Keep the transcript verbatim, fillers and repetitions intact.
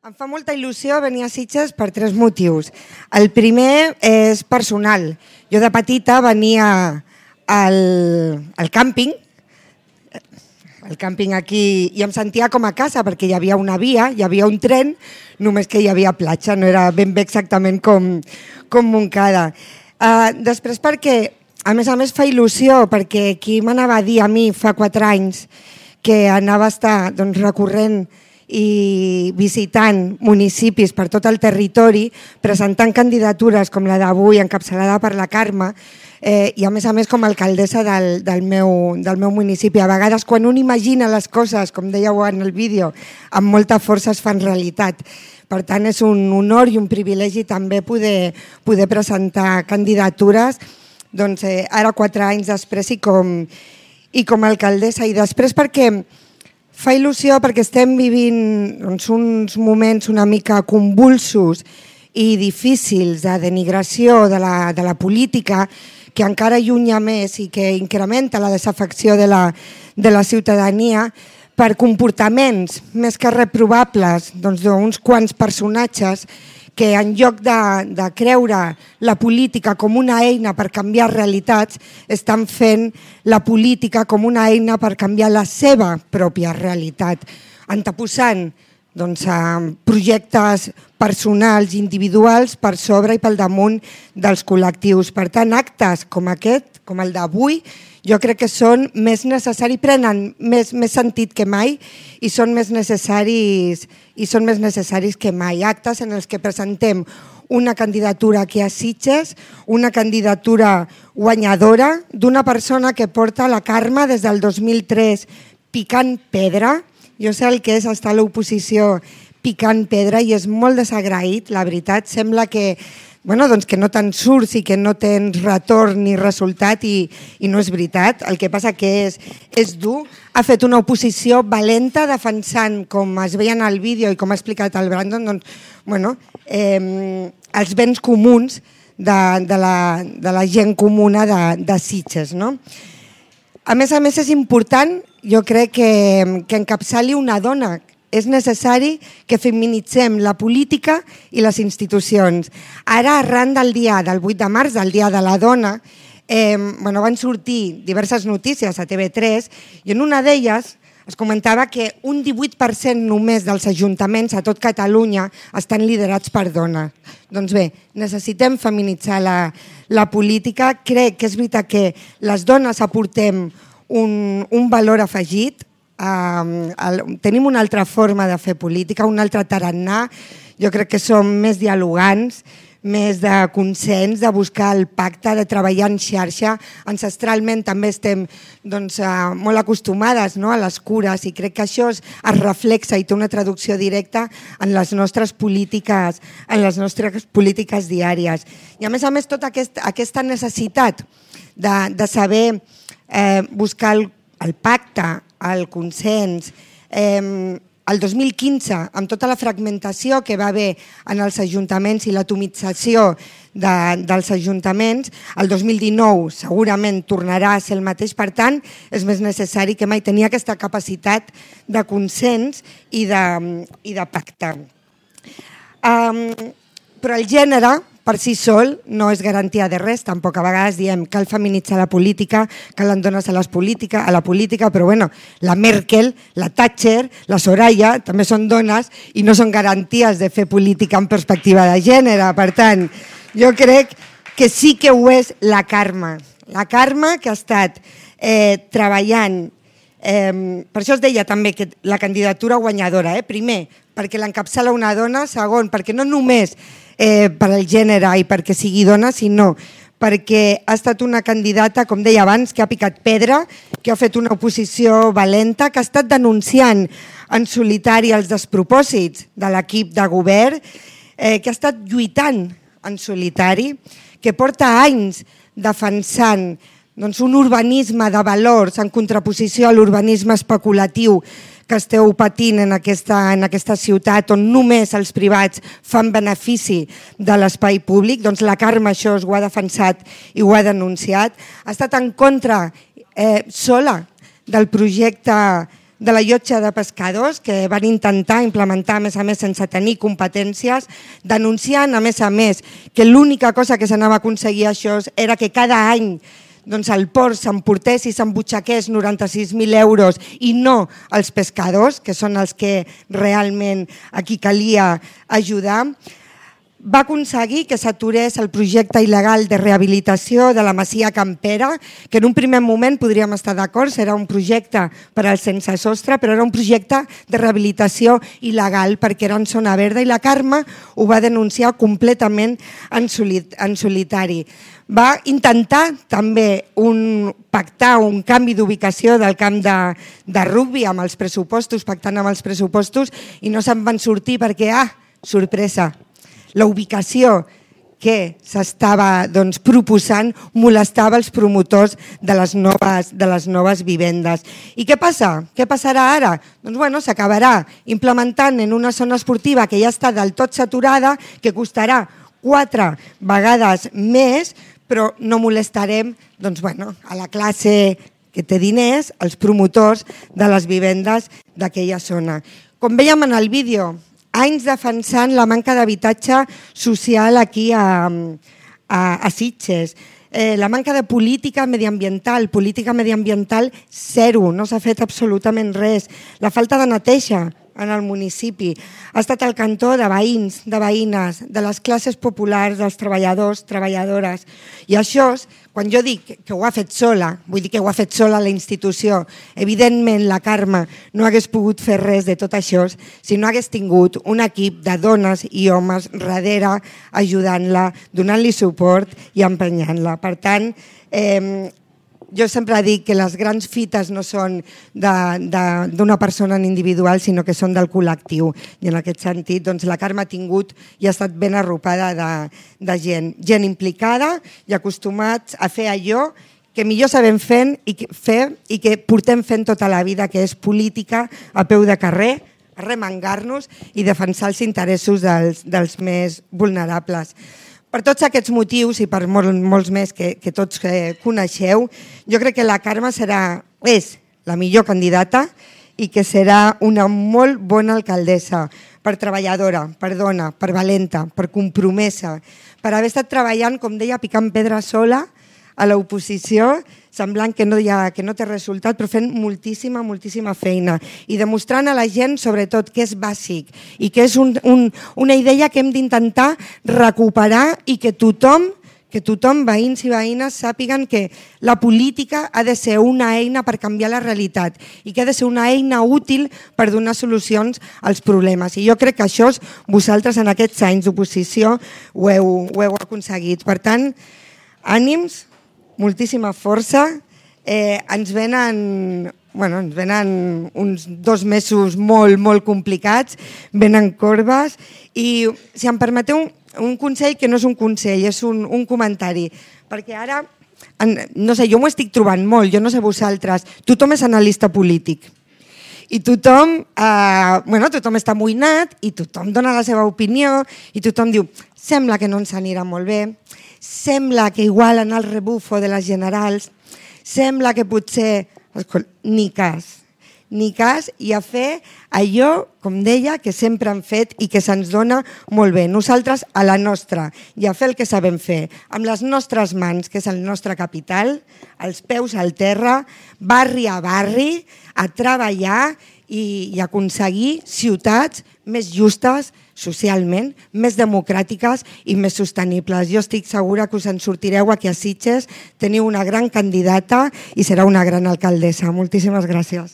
Em fa molta il·lusió venir a Sitges per tres motius. El primer és personal. Jo de petita venia al, al càmping, el càmping aquí, i em sentia com a casa perquè hi havia una via, hi havia un tren, només que hi havia platja, no era ben bé exactament com, com Montcada. Uh, després perquè, a més a més, fa il·lusió, perquè qui m'anava a dir a mi fa quatre anys que anava a estar doncs, recorrent i visitant municipis per tot el territori, presentant candidatures com la d'avui, encapçalada per la Carme, eh, i a més a més com a alcaldessa del, del, meu, del meu municipi. A vegades quan un imagina les coses, com dèieu en el vídeo, amb molta força es fan realitat. Per tant, és un honor i un privilegi també poder, poder presentar candidatures doncs, eh, ara quatre anys després i com, i com a alcaldessa. I després perquè fa il·lusió perquè estem vivint doncs, uns moments una mica convulsos i difícils de denigració de la, de la política que encara allunya més i que incrementa la desafecció de la, de la ciutadania per comportaments més que reprovables doncs, d'uns quants personatges que en lloc de, de creure la política com una eina per canviar realitats, estan fent la política com una eina per canviar la seva pròpia realitat, anteposant doncs, projectes personals, individuals, per sobre i pel damunt dels col·lectius. Per tant, actes com aquest, com el d'avui, jo crec que són més necessaris, prenen més, més sentit que mai i són més necessaris i són més necessaris que mai. Actes en els que presentem una candidatura aquí a Sitges, una candidatura guanyadora d'una persona que porta la Carme des del dos mil tres picant pedra. Jo sé el que és estar a l'oposició picant pedra i és molt desagraït, la veritat. Sembla que Bueno, doncs que no te'n surts i que no tens retorn ni resultat i, i no és veritat. El que passa que és, és dur. Ha fet una oposició valenta defensant, com es veia en el vídeo i com ha explicat el Brandon, doncs, bueno, eh, els béns comuns de, de, la, de la gent comuna de, de Sitges. No? A més a més és important, jo crec que, que encapçali una dona. És necessari que feminitzem la política i les institucions. Ara, arran del dia del vuit de març, del Dia de la Dona, eh, bueno, van sortir diverses notícies a T V tres i en una d'elles es comentava que un divuit per cent només dels ajuntaments a tot Catalunya estan liderats per dones. Doncs bé, necessitem feminitzar la, la política. Crec que és veritat que les dones aportem un, un valor afegit. Uh, el, tenim una altra forma de fer política, un altre tarannà. Jo crec que som més dialogants, més de consens, de buscar el pacte, de treballar en xarxa. Ancestralment també estem doncs, uh, molt acostumades, no?, a les cures i crec que això es, es reflexa i té una traducció directa en les nostres polítiques, en les nostres polítiques diàries. I a més a més tota aquest, aquesta necessitat de, de saber eh, buscar el, el pacte, el consens. Eh, el dos mil quinze, amb tota la fragmentació que va haver en els ajuntaments i l'atomització de, dels ajuntaments, el dos mil dinou segurament tornarà a ser el mateix. Per tant, és més necessari que mai tenir aquesta capacitat de consens i de, i de pacte. Um, però el gènere, per si sol, no és garantia de res. Tampoc a vegades diem cal feminitzar la política, calen dones a, les política, a la política, però bueno, la Merkel, la Thatcher, la Soraya també són dones i no són garanties de fer política en perspectiva de gènere. Per tant, jo crec que sí que ho és la Carme. La Carme que ha estat eh, treballant, eh, per això es deia també que la candidatura guanyadora, eh? Primer, perquè l'encapçala una dona, segon, perquè no només Eh, per al gènere i perquè sigui dona, sinó perquè ha estat una candidata, com deia abans, que ha picat pedra, que ha fet una oposició valenta, que ha estat denunciant en solitari els despropòsits de l'equip de govern, eh, que ha estat lluitant en solitari, que porta anys defensant doncs, un urbanisme de valors en contraposició a l'urbanisme especulatiu que esteu patint en aquesta, en aquesta ciutat on només els privats fan benefici de l'espai públic. Doncs la Carme això ho ha defensat i ho ha denunciat. Ha estat en contra eh, sola del projecte de la llotja de pescadors, que van intentar implementar, a més a més, sense tenir competències, denunciant, a més a més, que l'única cosa que s'anava a aconseguir això era que cada any doncs, el port s'emportés i s'embutxaqués noranta-sis mil euros i no els pescadors, que són els que realment aquí calia ajudar. Va aconseguir que s'aturés el projecte il·legal de rehabilitació de la Masia Campera, que en un primer moment podríem estar d'acord, era un projecte per al sense sostre, però era un projecte de rehabilitació il·legal perquè era en zona verda i la Carme ho va denunciar completament en solitari. Va intentar també un, pactar un canvi d'ubicació del camp de, de rugbi amb els pressupostos, pactant amb els pressupostos, i no se'n van sortir perquè, ah, sorpresa, la ubicació que s'estava doncs, proposant molestava els promotors de les, noves, de les noves vivendes. I què passa? Què passarà ara? Doncs bueno, s'acabarà implementant en una zona esportiva que ja està del tot saturada, que costarà quatre vegades més, però no molestarem doncs, bueno, a la classe que té diners, els promotors de les vivendes d'aquella zona. Com veiem en el vídeo, anys defensant la manca d'habitatge social aquí a, a, a Sitges. Eh, la manca de política mediambiental, política mediambiental zero, no s'ha fet absolutament res. La falta de neteja en el municipi. Ha estat el cantó de veïns, de veïnes, de les classes populars, dels treballadors, treballadores. I això, quan jo dic que ho ha fet sola, vull dir que ho ha fet sola la institució, evidentment la Carme no hagués pogut fer res de tot això si no hagués tingut un equip de dones i homes darrere ajudant-la, donant-li suport i empenyant-la. Per tant, eh, jo sempre dic que les grans fites no són d'una persona en individual, sinó que són del col·lectiu. I en aquest sentit, doncs, la Carme ha tingut i ha estat ben arropada de, de gent. Gent implicada i acostumats a fer allò que millor sabem fent i que, fer i que portem fent tota la vida, que és política a peu de carrer, arremangar-nos i defensar els interessos dels, dels més vulnerables. Per tots aquests motius i per molt, molts més que, que tots eh, coneixeu, jo crec que la Carme serà, és la millor candidata i que serà una molt bona alcaldessa, per treballadora, per dona, per valenta, per compromesa, per haver estat treballant, com deia, picant pedra sola a l'oposició, semblant que no, hi ha, que no té resultat, però fent moltíssima, moltíssima feina i demostrant a la gent, sobretot, que és bàsic i que és un, un, una idea que hem d'intentar recuperar i que tothom, que tothom, veïns i veïnes, sàpiguen que la política ha de ser una eina per canviar la realitat i que ha de ser una eina útil per donar solucions als problemes. I jo crec que això vosaltres en aquests anys d'oposició ho heu, ho heu aconseguit. Per tant, ànims, moltíssima força, eh, ens venen, bueno, ens venen uns dos mesos molt, molt complicats, venen corbes i, si em permeteu, un, un consell que no és un consell, és un, un comentari, perquè ara, en, no sé, jo m'ho estic trobant molt, jo no sé vosaltres, tothom és analista polític. I tothom, eh, bueno, tothom està amoïnat i tothom dona la seva opinió i tothom diu, sembla que no ens anirà molt bé, sembla que igual en el rebufo de les generals, sembla que potser, ni cas, ni cas i a fer allò, com deia, que sempre han fet i que se'ns dona molt bé. Nosaltres a la nostra i a fer el que sabem fer, amb les nostres mans, que és el nostre capital, els peus al terra, barri a barri, a treballar i, i aconseguir ciutats més justes socialment, més democràtiques i més sostenibles. Jo estic segura que us en sortireu aquí a Sitges, teniu una gran candidata i serà una gran alcaldessa. Moltíssimes gràcies.